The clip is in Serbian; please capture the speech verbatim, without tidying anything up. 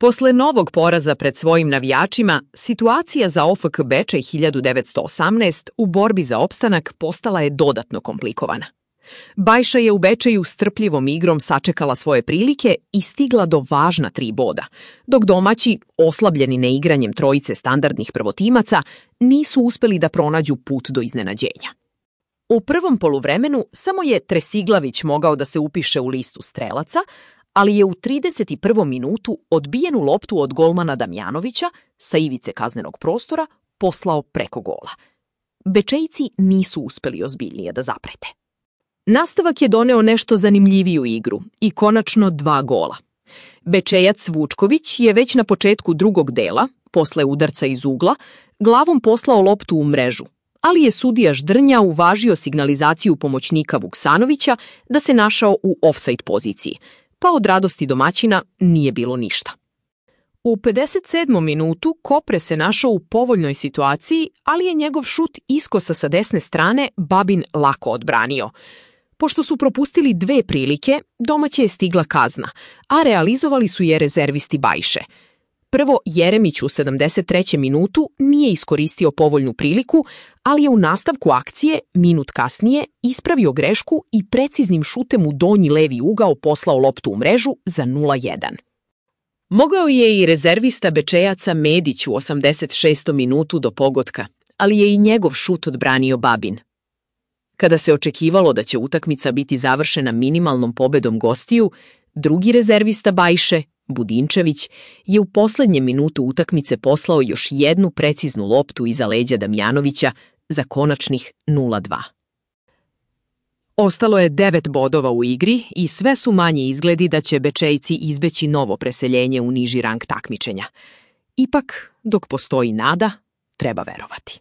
Posle novog poraza pred svojim navijačima, situacija za O F K Bečej hiljadu devetsto osamnaest u borbi za opstanak postala je dodatno komplikovana. Bajša je u Bečeju strpljivom igrom sačekala svoje prilike i stigla do važna tri boda, dok domaći, oslabljeni neigranjem trojice standardnih prvotimaca, nisu uspeli da pronađu put do iznenađenja. U prvom poluvremenu samo je Tresiglavić mogao da se upiše u listu strelaca, ali je u trideset prvom minutu odbijenu loptu od golmana Damjanovića sa ivice kaznenog prostora poslao preko gola. Bečejci nisu uspeli ozbiljnije da zaprete. Nastavak je doneo nešto zanimljiviju igru i konačno dva gola. Bečejac Vučković je već na početku drugog dela, posle udarca iz ugla, glavom poslao loptu u mrežu, ali je sudija Ždrnja uvažio signalizaciju pomoćnika Vuksanovića da se našao u ofsajd poziciji, pa od radosti domaćina nije bilo ništa. U pedeset sedmom minutu Kopre se našao u povoljnoj situaciji, ali je njegov šut iskosa sa desne strane Babin lako odbranio. Pošto su propustili dve prilike, domaće je stigla kazna, a realizovali su je rezervisti Bajše. Prvo, Jeremić u sedamdeset trećem minutu nije iskoristio povoljnu priliku, ali je u nastavku akcije, minut kasnije, ispravio grešku i preciznim šutem u donji levi ugao poslao loptu u mrežu za nula jedan. Mogao je i rezervista Bečejaca Medić u osamdeset šestom minutu do pogotka, ali je i njegov šut odbranio Babin. Kada se očekivalo da će utakmica biti završena minimalnom pobedom gostiju, drugi rezervista Bajše, Budinčević, je u poslednjem minutu utakmice poslao još jednu preciznu loptu iza leđa Damjanovića za konačnih nula dva. Ostalo je devet bodova u igri i sve su manji izgledi da će Bečejci izbeći novo preseljenje u niži rang takmičenja. Ipak, dok postoji nada, treba verovati.